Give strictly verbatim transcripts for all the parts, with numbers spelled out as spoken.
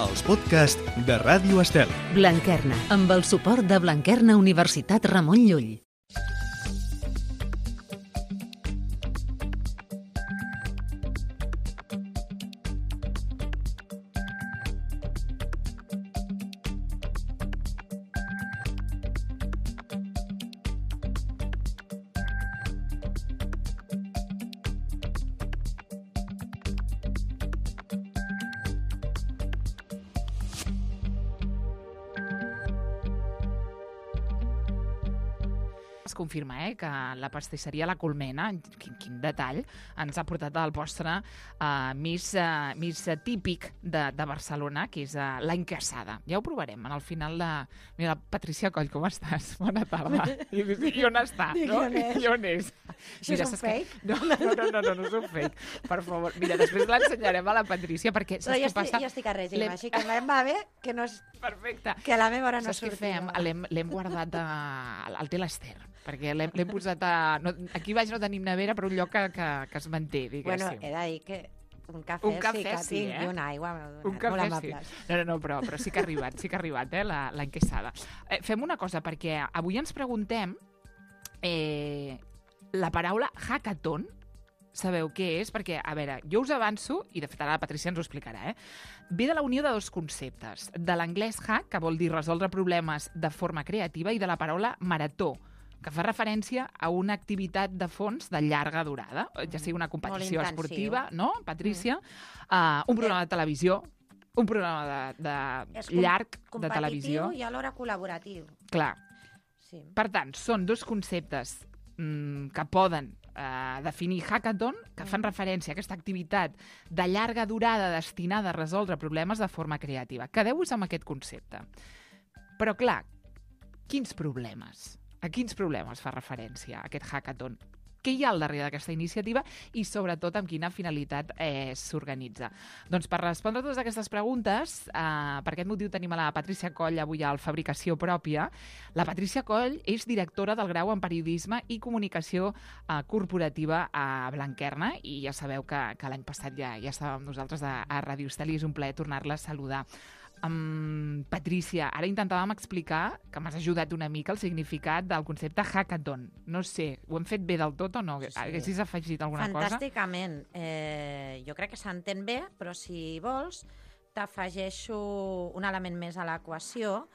els podcasts de Ràdio Estel. Blanquerna, amb el suport de Blanquerna Universitat Ramon Llull. Es confirma eh, que la pastisseria La Colmena, quin, quin detall, ens ha portat al postre uh, més, uh, més uh, típic de, de Barcelona, que és uh, la encassada. Ja ho provarem en el final de... Mira, Patricia Coll, com estàs? Bona tarda. I, i, i on està? No? I on és? Això és un fake? Que... No, no, no, no, no, no és un fake. Per favor. Mira, després l'ensenyarem a la Patricia, perquè saps Però jo què passa? Estic, jo estic a règim, així que em va bé que no és... Perfecte. Que a la meva hora no saps què surti. fem? L'hem guardat a, al té l'Ester, perquè l'hem posat a... No, aquí baix no tenim nevera, però un lloc que, que, que es manté, diguéssim. Bueno, he de dir que un cafè, un cafè sí que sí, tinc eh? i una aigua un molt cafè, amables. Sí. No, no, no, però, però sí que ha arribat, sí que ha arribat, eh, la, la enquesada. Eh, fem una cosa, perquè avui ens preguntem eh, la paraula hackathon. Sabeu què és? Perquè, a veure, jo us avanço, i de fet ara la Patricia ens ho explicarà, eh? Ve de la unió de dos conceptes, de l'anglès hack, que vol dir resoldre problemes de forma creativa, i de la paraula marató, que fa referència a una activitat de fons de llarga durada, ja sigui una competició esportiva, no, Patricia? Mm. Uh, un programa de televisió, un programa de, de llarg de televisió. Competitiu i alhora col·laboratiu. Clar. Sí. Per tant, són dos conceptes mm, que poden eh, definir hackathon, que fan referència a aquesta activitat de llarga durada destinada a resoldre problemes de forma creativa. Quedeu-vos amb aquest concepte. Però, clar, quins problemes? A quins problemes fa referència aquest hackathon? Què hi ha al darrere d'aquesta iniciativa i, sobretot, amb quina finalitat eh, s'organitza? Doncs per respondre a totes aquestes preguntes, eh, per aquest motiu tenim a la Patricia Coll avui al Fabricació Pròpia. La Patricia Coll és directora del grau en Periodisme i Comunicació eh, Corporativa a Blanquerna i ja sabeu que, que l'any passat ja, ja estàvem nosaltres a, a Ràdio Estel i és un plaer tornar-la a saludar. Um, Patricia, ara intentàvem explicar, que m'has ajudat una mica, el significat del concepte hackathon. No sé, ho hem fet bé del tot o no? Sí, sí. Haguessis afegit alguna Fantàsticament. cosa? Fantàsticament. Eh, jo crec que s'entén bé, però si vols t'afegeixo un element més a l'equació,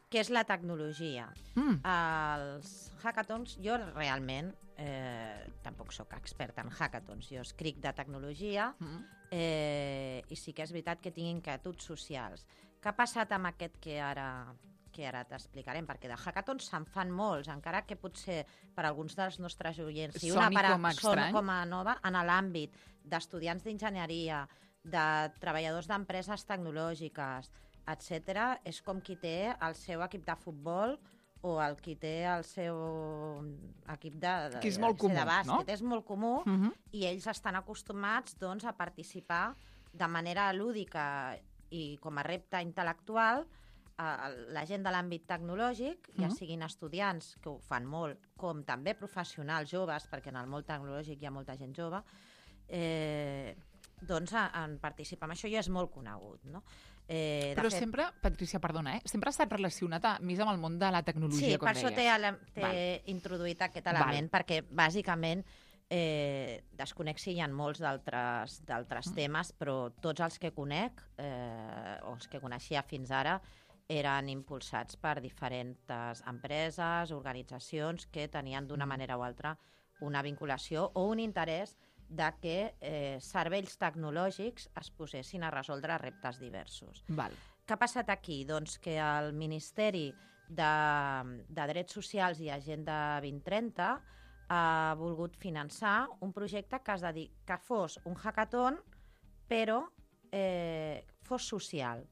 que és la tecnologia. Mm. Els hackathons, jo realment eh, tampoc sóc experta en hackathons, jo escric de tecnologia mm. eh, i sí que és veritat que tinc inquietuds socials. Què ha passat amb aquest que ara, que ara t'explicarem? Perquè de hackathons se'n fan molts, encara que potser per alguns dels nostres oients i una para, com a són com a nova en l'àmbit d'estudiants d'enginyeria, de treballadors d'empreses tecnològiques, etcètera, és com qui té el seu equip de futbol o el qui té el seu equip de, de, que és molt comú, de bàsquet. No? És molt comú uh-huh. i ells estan acostumats doncs, a participar de manera lúdica i com a repte intel·lectual a la gent de l'àmbit tecnològic, uh-huh. ja siguin estudiants, que ho fan molt, com també professionals joves, perquè en el món tecnològic hi ha molta gent jove, eh, doncs en participar en això ja és molt conegut, no? Eh, Però fet... sempre, Patricia, perdona, eh? sempre ha estat relacionat a, més amb el món de la tecnologia, sí, com deies. Sí, per això t'he introduït aquest element, Val. perquè bàsicament eh, desconec si hi ha molts d'altres mm. temes, però tots els que conec, eh, o els que coneixia fins ara, eren impulsats per diferents empreses, organitzacions que tenien d'una mm. manera o altra una vinculació o un interès de que eh, serveis tecnològics es posessin a resoldre reptes diversos. Val. Què ha passat aquí? Doncs que el Ministeri de, de Drets Socials i Agenda vint trenta ha volgut finançar un projecte que, es dedic, que fos un hackathon, però eh, fos social,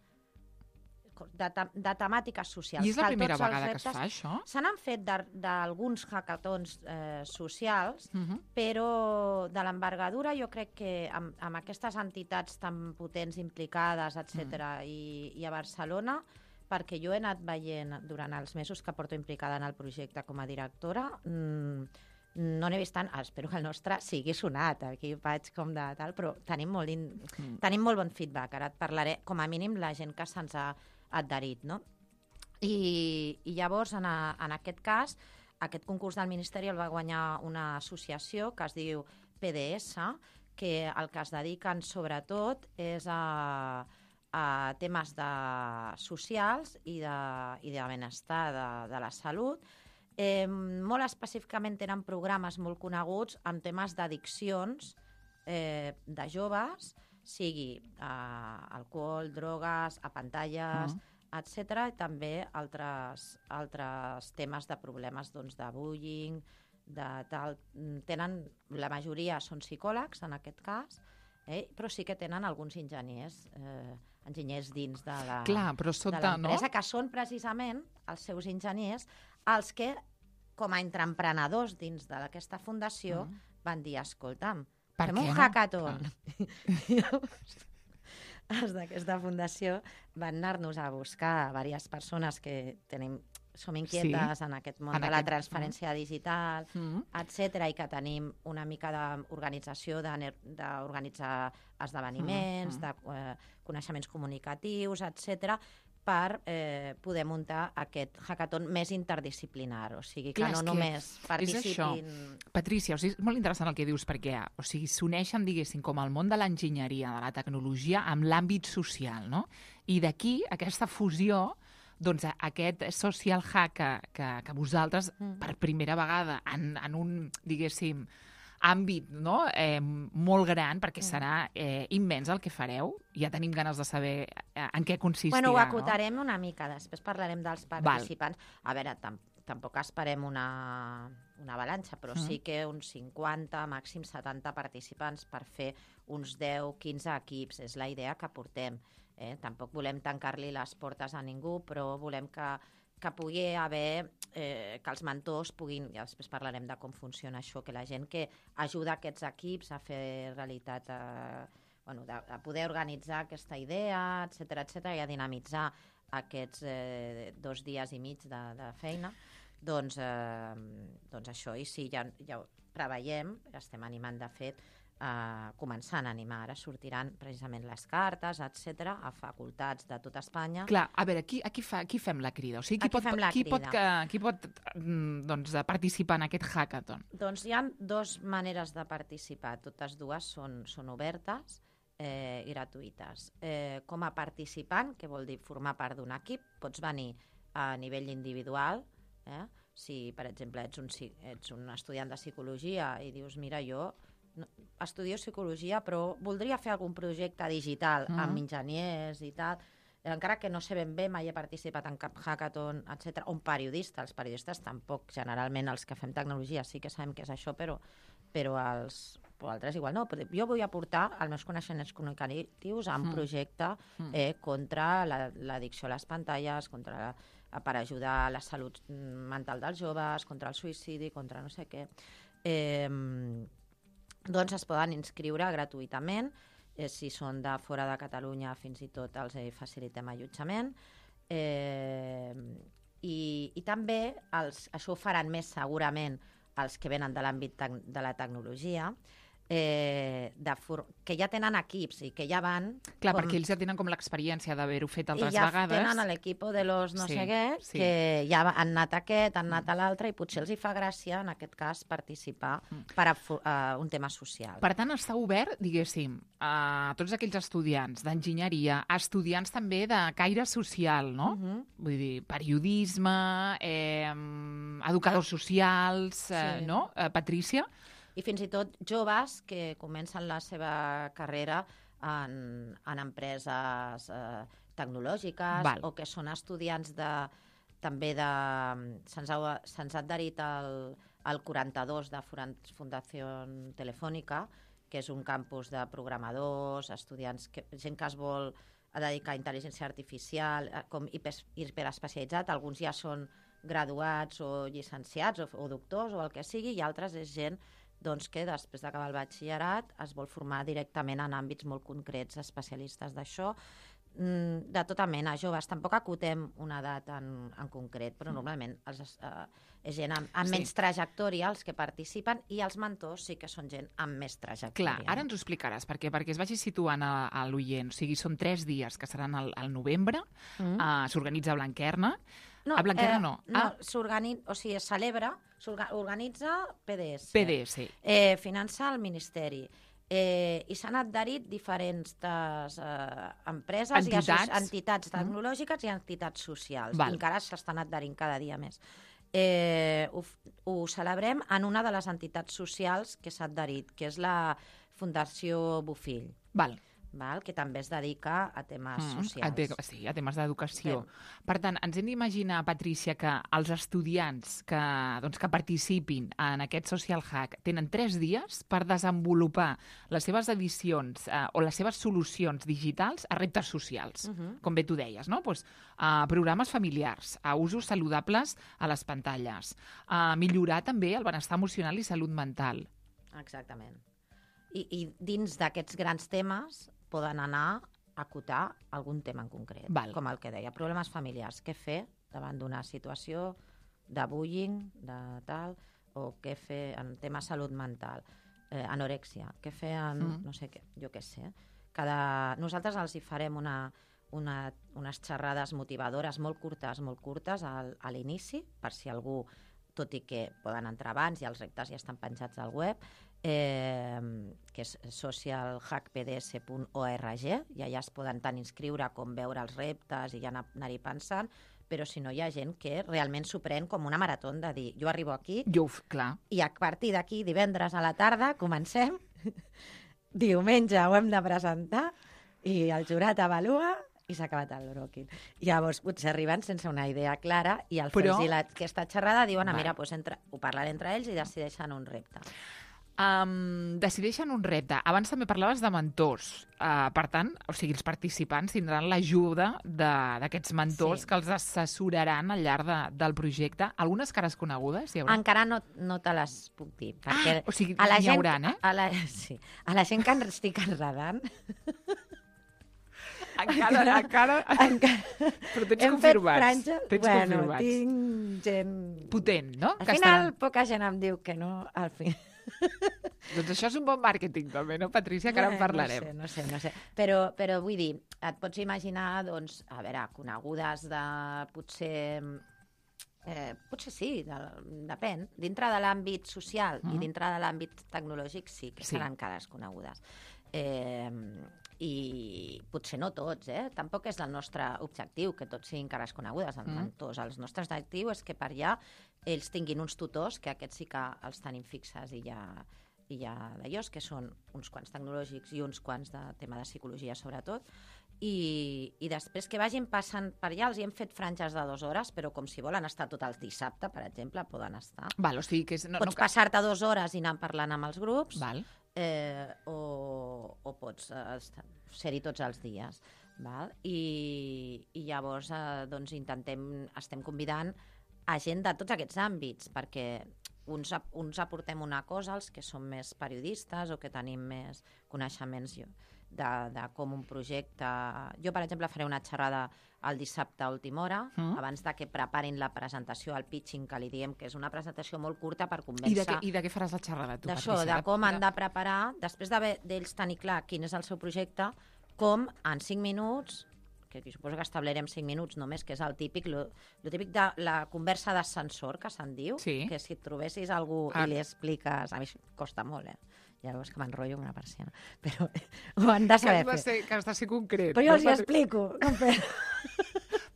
de, de temàtiques socials. I és la primera vegada que es fa això? Se n'han fet d'alguns hackathons eh, socials, uh-huh. però de l'envergadura jo crec que amb, amb aquestes entitats tan potents implicades, etcètera, uh-huh. i, i a Barcelona, perquè jo he anat veient durant els mesos que porto implicada en el projecte com a directora, mmm, no n'he vist tant, espero que el nostre sigui sonat, aquí vaig com de tal, però tenim molt, in... mm. tenim molt bon feedback, ara et parlaré, com a mínim la gent que se'ns ha adherit, no? I, i llavors, en, a, en aquest cas, aquest concurs del Ministeri el va guanyar una associació que es diu P D S, que el que es dediquen sobretot és a, a temes de socials i de, i de benestar de, de la salut. Eh, molt específicament tenen programes molt coneguts amb temes d'addiccions eh, de joves, sigui eh, alcohol, drogues, a pantalles, uh-huh. etcètera, i també altres, altres temes de problemes doncs, de bullying, de tal. Tenen, la majoria són psicòlegs, en aquest cas, eh, però sí que tenen alguns enginyers, eh, enginyers dins de la, Clar, però sota, de l'empresa, no? que són precisament els seus enginyers els que, com a entreprenedors dins d'aquesta fundació, mm. van dir, escolta'm, per fem un no? hackathon. Ah. Els d'aquesta fundació van anar-nos a buscar diverses persones que tenim, som inquietes sí. en aquest món en de la aquest... transferència mm. digital, mm. etcètera, i que tenim una mica d'organització, d'organitzar esdeveniments, mm. de eh, coneixements comunicatius, etcètera, per eh, poder muntar aquest hackathon més interdisciplinar, o sigui, que Clar, no que només participin... Patrícia, o sigui, és molt interessant el que dius, perquè o sigui, s'uneixen, diguéssim, com el món de l'enginyeria, de la tecnologia, amb l'àmbit social, no? I d'aquí, aquesta fusió, doncs aquest social hack que, que, que vosaltres, mm. per primera vegada, en, en un, diguéssim, àmbit no? eh, molt gran, perquè serà eh, immens el que fareu. Ja tenim ganes de saber eh, en què consistirà. Bueno, ho acotarem no? una mica, després parlarem dels participants. Val. A veure, tam tampoc esperem una, una avalanxa, però mm. sí que uns cinquanta, màxim setanta participants per fer uns deu quinze equips. És la idea que portem. Eh? Tampoc volem tancar-li les portes a ningú, però volem que que pugui haver, eh, que els mentors puguin, ja després parlarem de com funciona això, que la gent que ajuda aquests equips a fer realitat, a, bueno, de, a poder organitzar aquesta idea, etcètera, etcètera, i a dinamitzar aquests eh, dos dies i mig de, de feina, doncs, eh, doncs això, i sí, ja, ja ho preveiem, estem animant de fet, Uh, començant a animar. Ara sortiran precisament les cartes, etcètera, a facultats de tota Espanya. Clar, a veure, aquí, aquí, fa, aquí fem la crida. O sigui, qui, pot, qui, pot, que, qui pot doncs, participar en aquest hackathon? Doncs hi ha dues maneres de participar. Totes dues són, són obertes eh, i gratuïtes. Eh, com a participant, que vol dir formar part d'un equip, pots venir a nivell individual, eh? Si, per exemple, ets un, ets un estudiant de psicologia i dius, mira, jo No, estudio psicologia, però voldria fer algun projecte digital mm. amb enginyers i tal, encara que no sé ben bé, mai he participat en cap hackathon, etcètera. Un periodista, els periodistes tampoc, generalment els que fem tecnologia sí que sabem què és això, però, però els però altres igual no. Però jo vull aportar els meus coneixements comunicatius a un mm. projecte eh, contra l'addicció a les pantalles, contra la, per ajudar a la salut mental dels joves, contra el suïcidi, contra no sé què. Eh, doncs es poden inscriure gratuïtament, eh, si són de fora de Catalunya fins i tot els eh, facilitem allotjament, eh, i, i també els, això ho faran més segurament els que venen de l'àmbit de la tecnologia, eh, de que ja tenen equips i que ja van... Clar, com... perquè ells ja tenen com l'experiència d'haver-ho fet altres ja vegades. I ja tenen l'equip de los no sí, sé què, sí. que ja han anat a aquest, han anat a l'altre, i potser els hi fa gràcia, en aquest cas, participar mm. per a, a un tema social. Per tant, està obert, diguéssim, a tots aquells estudiants d'enginyeria, estudiants també de caire social, no? Uh-huh. Vull dir, periodisme, eh, educadors socials, eh, sí. no? Eh, Patrícia? I fins i tot joves que comencen la seva carrera en, en empreses eh, tecnològiques Val. O que són estudiants de, també de... Se'ns ha, se'ns ha adherit al, al quaranta-dos de Fundació Telefònica, que és un campus de programadors, estudiants, que, gent que es vol dedicar a intel·ligència artificial, com hiper, hiperespecialitzat. Alguns ja són graduats o llicenciats o, o doctors o el que sigui, i altres és gent doncs, que després d'acabar el batxillerat es vol formar directament en àmbits molt concrets, especialistes d'això. De tota mena, joves. Tampoc acotem una edat en, en concret, però normalment els, uh, és gent amb, amb sí. menys trajectòria els que participen i els mentors sí que són gent amb més trajectòria. Clar, ara ens ho explicaràs, perquè, perquè es vagi situant a, a l'oient. O sigui, són tres dies que seran al, al novembre, mm. uh, s'organitza a Blanquerna. No, a Blanquerna eh, no. No, ah. s'organitza, o sigui, es celebra, s'organitza P D S. P D S. Eh, finança el Ministeri. Eh, I s'han adherit diferents des, eh, empreses, entitats, i entitats tecnològiques mm. i entitats socials. Val. I encara s'estan adherint cada dia més. Eh, ho, ho celebrem en una de les entitats socials que s'ha adherit, que és la Fundació Bofill. Val. Val? Que també es dedica a temes mm, socials. A te sí, a temes d'educació. Per tant, ens hem d'imaginar, Patrícia, que els estudiants que, doncs, que participin en aquest Social Hack tenen tres dies per desenvolupar les seves edicions eh, o les seves solucions digitals a reptes socials, uh-huh. com bé tu deies, no? Pues, a programes familiars, a usos saludables a les pantalles, a millorar també el benestar emocional i salut mental. Exactament. I, i dins d'aquests grans temes poden anar a acotar algun tema en concret, Val. Com el que deia, problemes familiars. Què fer davant d'una situació de bullying, de tal, o què fer en tema salut mental, eh, anorèxia, què fer en, mm. no sé què, jo què sé. Cada... Nosaltres els hi farem una, una, unes xerrades motivadores molt curtes, molt curtes al, a l'inici, per si algú, tot i que poden entrar abans i els reptes ja estan penjats al web, eh, que és social hack p d s punt org, i allà es poden tant inscriure com veure els reptes i ja anar-hi pensant, però si no hi ha gent que realment s'ho pren com una marató de dir, jo arribo aquí jo, clar. I a partir d'aquí, divendres a la tarda, comencem, diumenge ho hem de presentar i el jurat avalua i s'ha acabat el bròquil. Llavors, potser arriben sense una idea clara i al Però... fer-los aquesta xerrada diuen, ah, mira, doncs entre... ho parlaré entre ells i decideixen un repte. Um, decideixen un repte. Abans també parlaves de mentors. Uh, per tant, o sigui, els participants tindran l'ajuda d'aquests mentors sí. que els assessoraran al llarg de, del projecte. Algunes cares conegudes hi haurà? Encara no, no te les puc dir. Perquè ah, o sigui, a la n'hi gent, haurà, eh? A la, sí, a la gent que estic enredant... Encara, encara... encara... Però tens Hem confirmats. Hem fet franges... Tens bueno, confirmats. tinc gent... Potent, no? Al que final, estan... poca gent em diu que no, al final... Doncs això és un bon màrqueting també, no, Patrícia? Que ara en parlarem. No sé, no sé, no sé. Però, però vull dir, et pots imaginar, doncs, a veure, conegudes de potser... Eh, potser sí, de, depèn. Dintre de l'àmbit social uh-huh. i dintre de l'àmbit tecnològic sí que sí. seran cares conegudes. Eh, I potser no tots, eh? Tampoc és el nostre objectiu que tots siguin cares conegudes, els uh-huh. mentors. El nostre objectiu és que per allà ells tinguin uns tutors, que aquests sí que els tenim fixes i ja, i ja d'ells, que són uns quants tecnològics i uns quants de tema de psicologia sobretot, i, i després que vagin passant per allà, els hi hem fet franges de dues hores, però com si volen estar tot el dissabte, per exemple, poden estar. Val, o sigui que és, no, pots no... passar-te dues hores i anar parlant amb els grups, Val. Eh, o, o pots eh, ser-hi tots els dies. Val? I, i llavors eh, doncs intentem, estem convidant a gent de tots aquests àmbits, perquè uns, uns aportem una cosa, els que som més periodistes o que tenim més coneixements de, de com un projecte... Jo, per exemple, faré una xerrada el dissabte a última hora, mm. abans de que preparin la presentació, el pitching, que li diem que és una presentació molt curta per convèncer... I de què, i de què faràs la xerrada, tu, Patrícia? D'això, de com han de preparar, després d'ells tenir clar quin és el seu projecte, com en cinc minuts... que suposo que establerem cinc minuts només, que és el típic, lo, lo típic de la conversa d'ascensor, que se'n diu, sí. que si et trobessis algú ah. i li expliques... A mi costa molt, eh? Ja veus que m'enrotllo amb una persiana. Però ho han de saber que has de ser, que has de ser concret. Però jo els hi explico.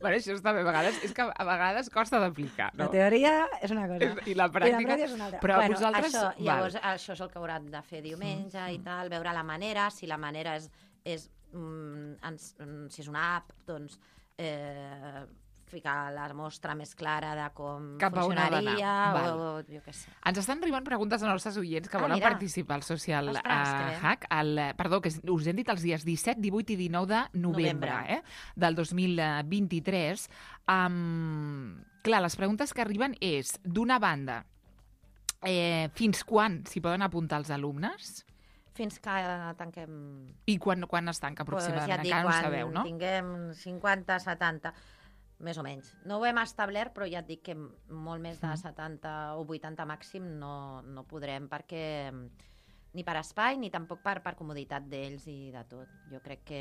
Bueno, això està bé. A vegades, és que a vegades costa d'aplicar, no? La teoria és una cosa. És, I la pràctica... I la és una altra. Però bueno, vosaltres... Això, llavors, això és el que hauran de fer diumenge mm. i tal, veure la manera, si la manera és... és mm, ens, si és una app, doncs... Eh, ficar la mostra més clara de com cap funcionaria o jo què sé. Ens estan arribant preguntes als nostres oients que ah, volen mira. participar al Social Ostres, uh, Hack. El, perdó, que us hem dit els dies disset, divuit i dinou de novembre, novembre. Eh, del dos mil vint-i-tres. Um, clar, les preguntes que arriben és, d'una banda, eh, fins quan s'hi poden apuntar els alumnes? fins que tanquem... I quan, quan es tanca aproximadament? Pues ja et dic, encara no ho sabeu, no? Quan tinguem cinquanta, setanta, més o menys. No ho hem establert, però ja et dic que molt més de setanta o vuitanta màxim no, no podrem, perquè ni per espai ni tampoc per, per comoditat d'ells i de tot. Jo crec que...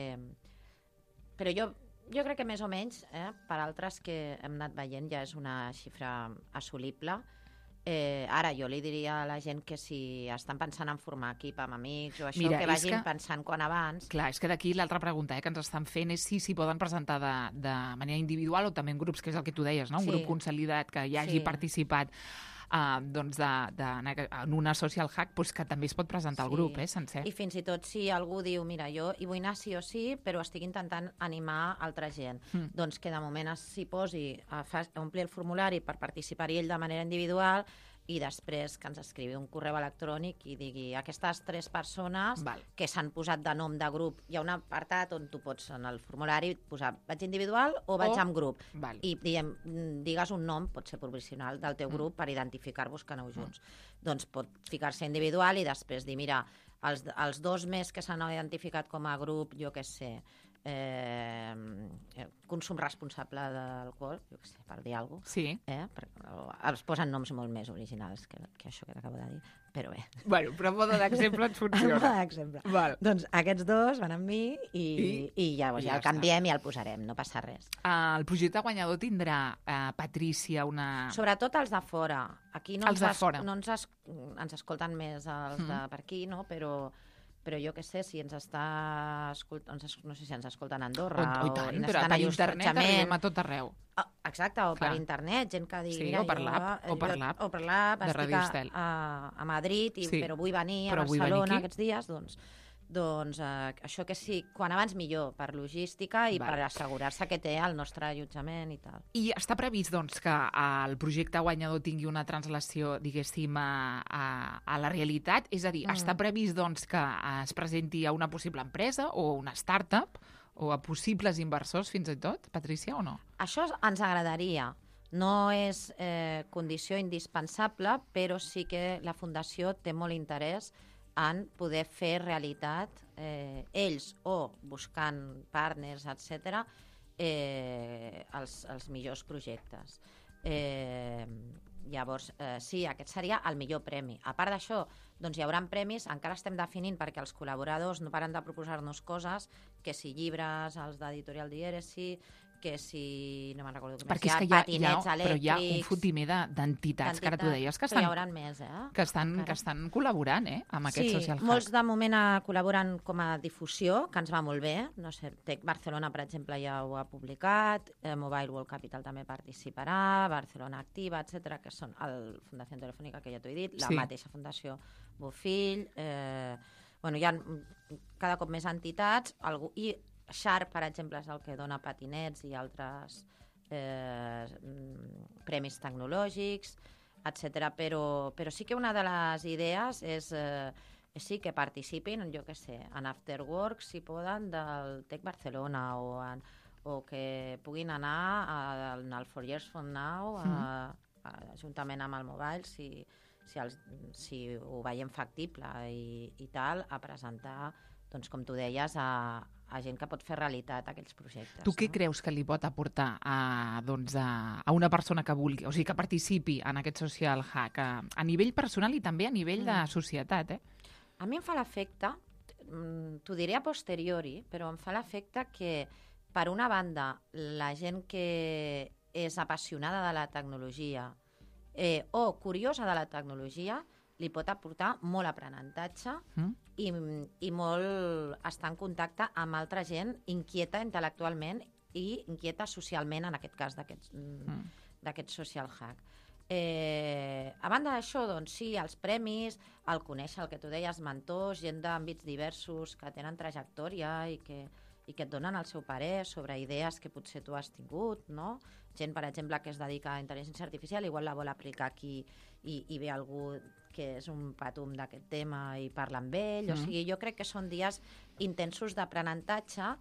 Però jo, jo crec que més o menys, eh, per altres que hem anat veient, ja és una xifra assolible. Eh, ara, jo li diria a la gent que si estan pensant en formar equip amb amics o això, Mira, que vagin que... pensant quan abans. Clar, és que d'aquí l'altra pregunta eh, que ens estan fent és si s'hi poden presentar de, de manera individual o també en grups, que és el que tu deies, no? Un sí. grup consolidat que ja hagi sí. participat uh, doncs de, de, en una social hack, doncs que també es pot presentar sí. al grup, eh, sencer. I fins i tot si algú diu, mira, jo hi vull anar sí o sí, però estic intentant animar altra gent, mm. doncs que de moment s'hi posi a, a omplir el formulari per participar-hi ell de manera individual i després que ens escrivi un correu electrònic i digui aquestes tres persones Val. que s'han posat de nom de grup. Hi ha un apartat on tu pots en el formulari posar vaig individual o vaig o... en grup. Val. I diguem, digues un nom, pot ser provisional, del teu grup mm. per identificar-vos que aneu junts. Mm. Doncs pot ficar-se individual i després dir, mira, els, els dos més que s'han identificat com a grup, jo què sé, Eh, consum responsable d'alcohol, jo què sé, per dir alguna cosa. Sí. Eh? Els posen noms molt més originals que, que això que t'acabo de dir, però bé. Bueno, però modo d'exemple et funciona. Modo d'exemple. Val. Doncs aquests dos van amb mi i, I, i llavors ja, ja el canviem està. I el posarem, no passa res. Uh, el projecte guanyador tindrà, uh, Patrícia, una... Sobretot els de fora. Aquí no, els ens, de fora. no ens, es, ens escolten més els mm. de per aquí, no? Però... però jo què sé, si ens està escoltant, no sé si ens escolten a Andorra o, o, tant, o però per internet arribem a tot arreu. Oh, exacte, o Clar. per internet, gent que digui... Sí, mira, o per jo, l'app, o per l'app, o per l'app, estic a, a, a Madrid, i, sí. però vull venir a Barcelona aquests dies, doncs, doncs eh, això que sí, quan abans millor, per logística i Val. per assegurar-se que té el nostre allotjament i tal. I està previst, doncs, que el projecte guanyador tingui una translació, diguéssim, a, a, a la realitat? És a dir, mm. està previst, doncs, que es presenti a una possible empresa o una startup o a possibles inversors, fins i tot, Patrícia, o no? Això ens agradaria. No és eh, condició indispensable, però sí que la Fundació té molt interès en poder fer realitat eh, ells o buscant partners, etcètera, eh, els, els millors projectes. Eh, llavors, eh, sí, aquest seria el millor premi. A part d'això, doncs hi haurà premis, encara estem definint perquè els col·laboradors no paren de proposar-nos coses, que si llibres, els d'Editorial Dièresi, que si... no me'n recordo com Perquè és que hi ha, patinets hi ha, però hi ha un fotimer d'entitats, que ara tu deies, que estan, hi haurà més, eh? que estan, que estan col·laborant eh, amb aquest sí, social hack. Sí, molts de moment col·laboren com a difusió, que ens va molt bé. No sé, Tec Barcelona, per exemple, ja ho ha publicat, eh, Mobile World Capital també participarà, Barcelona Activa, etcètera, que són el Fundació Telefònica, que ja t'ho he dit, la sí. mateixa Fundació Bofill, eh, bueno, hi ha cada cop més entitats, algú, i Sharp, per exemple, és el que dona patinets i altres eh, premis tecnològics, etcètera. Però, però sí que una de les idees és, eh, és sí que participin, jo què sé, en Afterwork, si poden, del Tec Barcelona, o, en, o que puguin anar a, al For Years From Now, a, a, juntament amb el Mobile, si, si, els, si ho veiem factible i, i tal, a presentar, doncs, com tu deies, a a gent que pot fer realitat aquests projectes. Tu què no? creus que li pot aportar a, doncs, a, a una persona que vulgui, o sigui, que participi en aquest social hack, a, a nivell personal i també a nivell mm. de societat, eh? A mi em fa l'efecte, t'ho diré a posteriori, però em fa l'efecte que, per una banda, la gent que és apassionada de la tecnologia eh, o curiosa de la tecnologia li pot aportar molt aprenentatge mm. i, i molt estar en contacte amb altra gent inquieta intel·lectualment i inquieta socialment, en aquest cas d'aquest mm. social hack. Eh, a banda d'això, doncs sí, els premis, el conèixer, el que tu deies, mentors, gent d'àmbits diversos que tenen trajectòria i que, i que et donen el seu parer sobre idees que potser tu has tingut, no? Gent, per exemple, que es dedica a intel·ligència artificial, igual la vol aplicar aquí i, i ve algú que és un patum d'aquest tema i parla amb ell. Mm. O sigui, jo crec que són dies intensos d'aprenentatge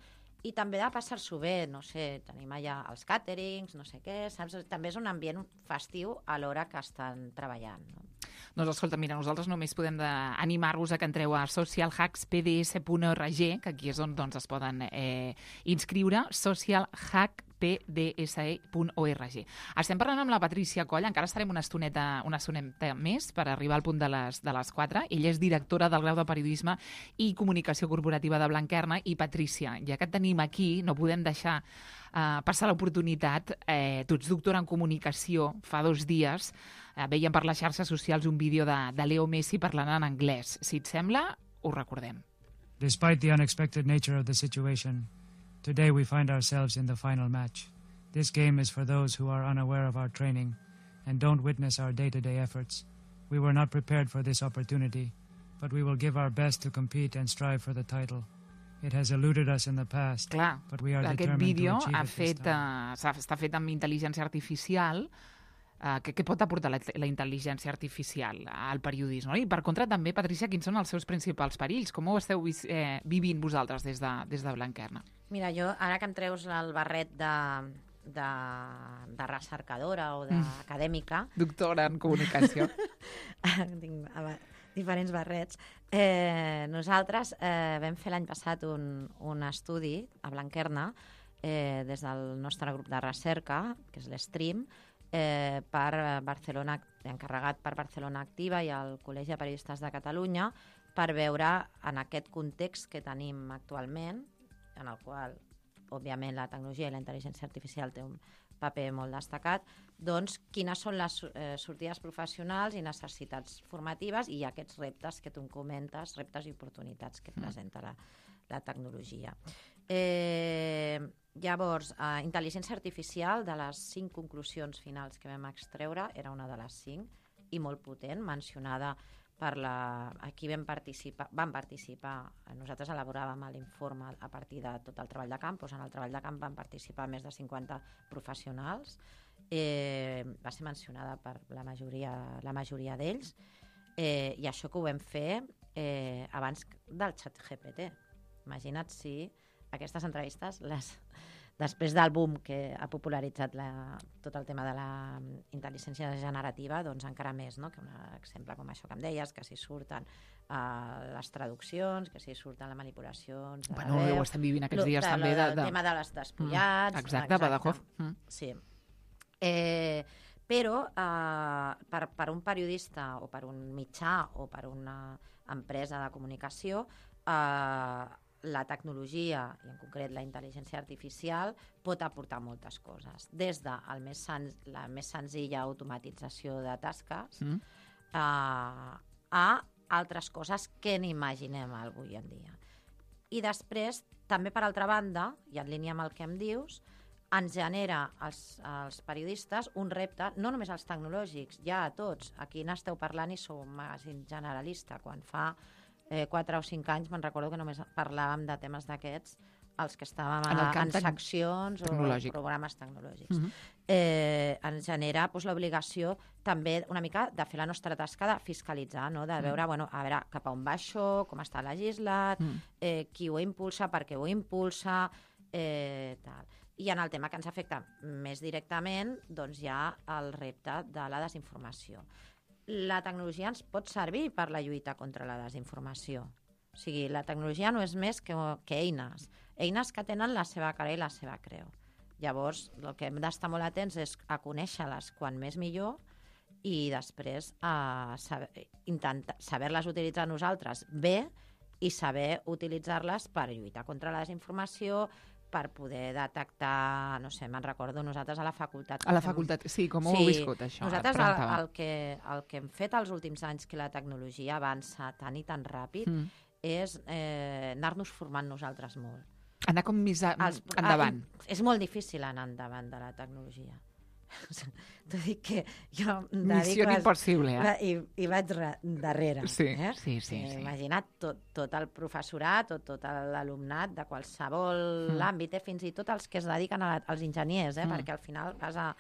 i també de passar-s'ho bé. No sé, tenim allà els càterings, no sé què, saps? També és un ambient festiu a l'hora que estan treballant, no? Doncs escolta, mira, nosaltres només podem animar-vos a que entreu a social hacks p d s punt org, que aquí és on doncs, es poden eh, inscriure, social hack p d s e punt org. Estem parlant amb la Patrícia Coll, encara estarem una estoneta, una estoneta més per arribar al punt de les, de les quatre. Ella és directora del grau de Periodisme i Comunicació Corporativa de Blanquerna. I Patrícia, ja que et tenim aquí, no podem deixar uh, passar l'oportunitat. Eh, tu ets doctora en Comunicació, fa dos dies eh, veiem per les xarxes socials un vídeo de, de Leo Messi parlant en anglès. Si et sembla, ho recordem. Despite the unexpected nature of the situation, today we find ourselves in the final match. This game is for those who are unaware of our training and don't witness our day-to-day efforts. We were not prepared for this opportunity, but we will give our best to compete and strive for the title. It has eluded us in the past, Clar, but we are aquest determined vídeo to achieve ha it fet, this time. uh, està fet amb intel·ligència artificial. Uh, què, què pot aportar la, la intel·ligència artificial al periodisme? No? I per contra també, Patrícia, quins són els seus principals perills? Com ho esteu eh, vivint vosaltres des de, des de Blanquerna? Mira, jo, ara que em treus el barret de, de, de recercadora o d'acadèmica... Mm. Doctora en comunicació. Tinc diferents barrets. Eh, nosaltres eh, vam fer l'any passat un, un estudi a Blanquerna eh, des del nostre grup de recerca, que és l'Stream, Eh, per Barcelona, encarregat per Barcelona Activa i el Col·legi de Periodistes de Catalunya, per veure en aquest context que tenim actualment, en el qual, òbviament, la tecnologia i la intel·ligència artificial té un paper molt destacat, doncs quines són les eh, sortides professionals i necessitats formatives i aquests reptes que tu em comentes, reptes i oportunitats que presenta la, la tecnologia. Eh, llavors, eh, intel·ligència artificial, de les cinc conclusions finals que vam extreure, era una de les cinc i molt potent, mencionada per la... Aquí vam participar, vam participar, nosaltres elaboràvem l'informe a partir de tot el treball de camp, doncs en el treball de camp van participar més de cinquanta professionals, eh, va ser mencionada per la majoria, la majoria d'ells, eh, i això que ho vam fer eh, abans del xat G P T. Imagina't si aquestes entrevistes, les, després del boom que ha popularitzat la, tot el tema de la intel·ligència generativa, doncs encara més, no? Que un exemple com això que em deies, que si surten uh, les traduccions, que si surten les manipulacions... Bueno, ho estem vivint aquests dies de, també. De, de, el tema de les despullats... Mm, exacte, exacte, Badajoz. Mm. Sí. Eh, però eh, per, per un periodista o per un mitjà o per una empresa de comunicació, eh, la tecnologia, i en concret la intel·ligència artificial, pot aportar moltes coses. Des de el més sen la més senzilla automatització de tasques mm. uh, a altres coses que n'imaginem avui en dia. I després, també per altra banda, i en línia amb el que em dius, ens genera als, als periodistes un repte, no només als tecnològics, ja a tots. Aquí n'esteu parlant i sou un magazín generalista. Quan fa Eh, quatre o cinc anys me'n recordo que només parlàvem de temes d'aquests els que estàvem a, en, en seccions o programes tecnològics. Uh-huh. eh, ens genera doncs, l'obligació també una mica de fer la nostra tasca de fiscalitzar, no? De veure, uh-huh. bueno, a veure cap a on va això, com està legislat, uh-huh. eh, qui ho impulsa, per què ho impulsa, eh, tal. I en el tema que ens afecta més directament, doncs hi ha el repte de la desinformació. La tecnologia ens pot servir per la lluita contra la desinformació. O sigui, la tecnologia no és més que, que eines. Eines que tenen la seva cara i la seva creu. Llavors, el que hem d'estar molt atents és a conèixer-les quan més millor i després a saber, intentar, saber-les utilitzar nosaltres bé i saber utilitzar-les per lluitar contra la desinformació, per poder detectar, no sé, me'n recordo nosaltres a la facultat. A la facultat, sí, com ho sí, heu viscut, això? Nosaltres el, el, que, el que hem fet els últims anys que la tecnologia avança tan i tan ràpid mm. és eh, anar-nos formant nosaltres molt. Anar com més a, els, endavant. A, és molt difícil anar endavant de la tecnologia. T'ho dic que jo... Missió les, impossible, eh? I, i vaig re, darrere. Sí, eh? sí, sí. Eh, sí. Imagina't tot, tot el professorat, tot, tot l'alumnat de qualsevol mm. àmbit, eh? Fins i tot els que es dediquen a, als enginyers, eh? Mm. Perquè al final vas a,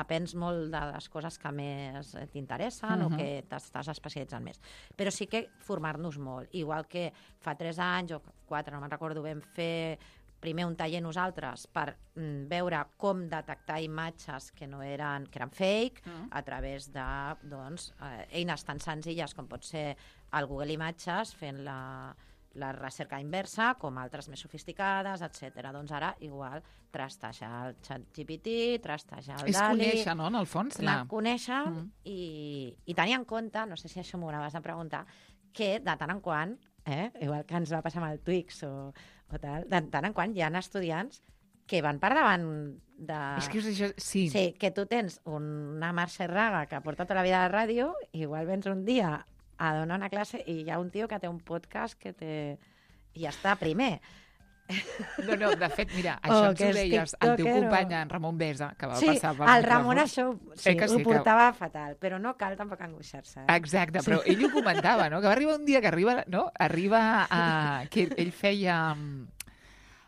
aprens molt de les coses que més t'interessen mm-hmm. o que t'estàs especialitzant més. Però sí que formar-nos molt. Igual que fa tres anys o quatre, no me'n recordo, vam fer primer un taller nosaltres per mm, veure com detectar imatges que no eren, que eren fake mm. a través de doncs, eh, eines tan senzilles com pot ser el Google Imatges fent la, la recerca inversa, com altres més sofisticades, etcètera. Doncs ara, igual, trastejar el ChatGPT, trastejar el És Dali... És conèixer, no?, en el fons. La... Conèixer mm. i, i tenir en compte, no sé si això m'ho anaves a preguntar, que de tant en quant, eh, igual que ens va passar amb el Twix o, o tal, de tant en quant hi ha estudiants que van per davant de... És que això, sí. Sí, que tu tens una Mercè Raga que porta tota la vida a la ràdio, igual vens un dia a donar una classe i hi ha un tio que té un podcast que té... i ja està primer. No, no, de fet, mira, això oh, ens ho deies el teu company, en Ramon Besa, que va sí, passar per... Sí, el Ramon això sí, eh ho sí, portava que... fatal, però no cal tampoc angoixar-se. Eh? Exacte, però sí. Ell ho comentava, no?, que va arribar un dia que arriba, no?, arriba a... que ell feia...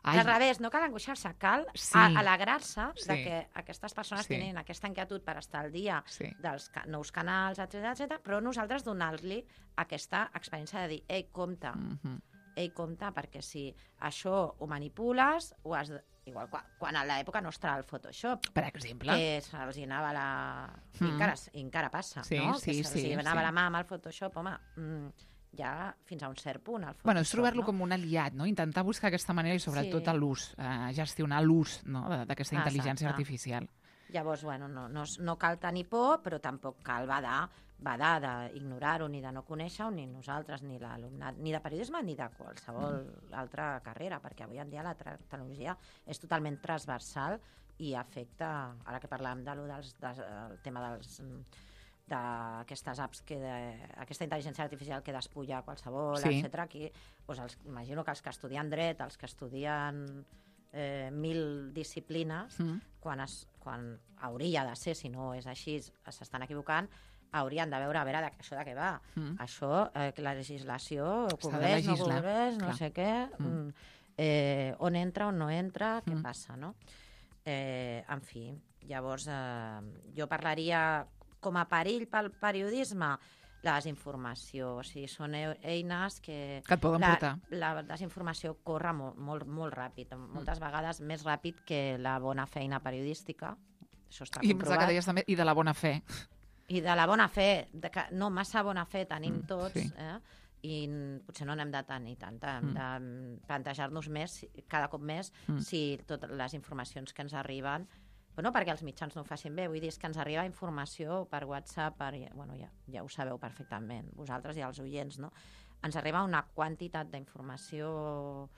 Ai. Al revés, no cal angoixar-se, cal sí. alegrar-se sí. de que aquestes persones sí. tenen aquesta inquietud per estar al dia sí. dels ca nous canals, etcètera, etcètera, però nosaltres donar-li aquesta experiència de dir, ei, compte, mm -hmm. ei, compte, perquè si això ho manipules, ho has de... igual quan, quan a l'època nostra el Photoshop, per exemple, que se'ls anava la... Mm. I encara, encara passa, sí, no? Sí, que se'ls sí, anava sí. la mà amb el Photoshop, home... Mm, ja fins a un cert punt. El bueno, és trobar-lo no? com un aliat, no? Intentar buscar aquesta manera i sobretot sí. l'ús, eh, gestionar l'ús no? d'aquesta intel·ligència artificial. Llavors, bueno, no, no, no cal tenir por, però tampoc cal badar, badar d'ignorar-ho, ni de no conèixer-ho, ni nosaltres, ni l'alumnat, ni de periodisme, ni de qualsevol mm. altra carrera, perquè avui en dia la tecnologia és totalment transversal i afecta, ara que parlàvem de lo dels, del tema dels... d'aquestes apps, que de, aquesta intel·ligència artificial que despulla qualsevol, sí. etcètera. Aquí, doncs els, imagino que els que estudien dret, els que estudien eh, mil disciplines, mm. quan, es, quan hauria de ser, si no és així, s'estan equivocant, haurien de veure a veure de, això de què va. Mm. Això, eh, la legislació, cobreix, no cobreix, no sé què, mm. eh, on entra, on no entra, què mm. passa, no? Eh, en fi, llavors, eh, jo parlaria... com a perill pel periodisme, la desinformació. O sigui, són eines que... Que et poden la, portar. La desinformació corre molt, molt, molt ràpid, moltes mm. vegades més ràpid que la bona feina periodística. Això està I comprovat. Que deies també, I de la bona fe. I de la bona fe. De que, no, massa bona fe tenim mm, tots, sí. eh? I potser no n'hem de tenir tanta. Hem mm. de plantejar-nos més, cada cop més, mm. si totes les informacions que ens arriben... No perquè els mitjans no ho facin bé, vull dir, és que ens arriba informació per WhatsApp, per, bueno, ja, ja ho sabeu perfectament, vosaltres i els oients, no? Ens arriba una quantitat d'informació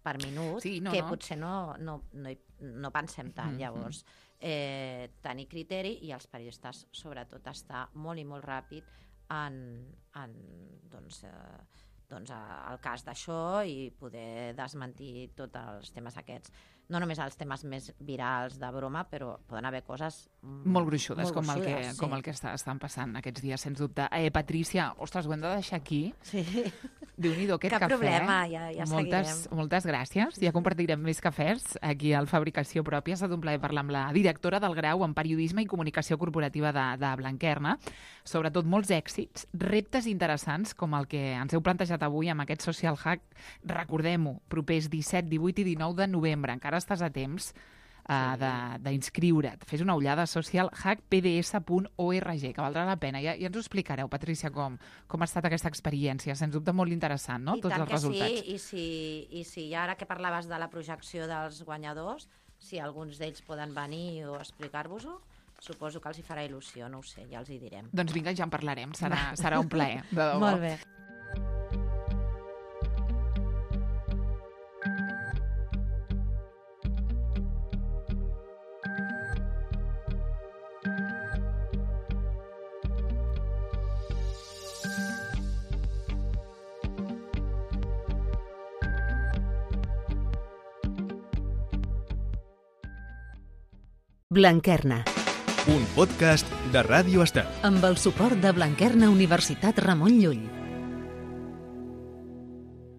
per minut sí, no, que no. potser no, no, no, no pensem tant. Mm-hmm. Llavors, eh, tenir criteri i els periodistes, sobretot, estar molt i molt ràpid en, en doncs, eh, doncs, el cas d'això i poder desmentir tots els temes aquests. No només els temes més virals de broma, però poden haver coses... Molt gruixudes, molt com, gruixudes, el que, sí. com el que està, estan passant aquests dies, sens dubte. Eh, Patrícia, ostres, ho hem de deixar aquí. Sí. Déu-n'hi-do, aquest Cap cafè. Cap problema, ja, ja moltes, seguirem. Moltes gràcies. Ja compartirem més cafès aquí al Fabricació Pròpia. Ha estat un plaer parlar amb la directora del grau en Periodisme i Comunicació Corporativa de, de Blanquerna. Sobretot molts èxits, reptes interessants, com el que ens heu plantejat avui amb aquest Social Hack. Recordem-ho, propers disset, divuit i dinou de novembre. Encara estàs a temps uh, d'inscriure't. Fes una ullada a social hack p d s punt org, que valdrà la pena. Ja, ja ens ho explicareu, Patrícia, com, com ha estat aquesta experiència. Sens dubte molt interessant, no? I tots tant els que resultats. Sí, i si, i si ara que parlaves de la projecció dels guanyadors, si alguns d'ells poden venir o explicar-vos-ho, suposo que els hi farà il·lusió, no ho sé, ja els hi direm. Doncs vinga, ja en parlarem, serà, serà un plaer. De debò. Molt bé. Blanquerna. Un podcast de Ràdio Estel. Amb el suport de Blanquerna Universitat Ramon Llull.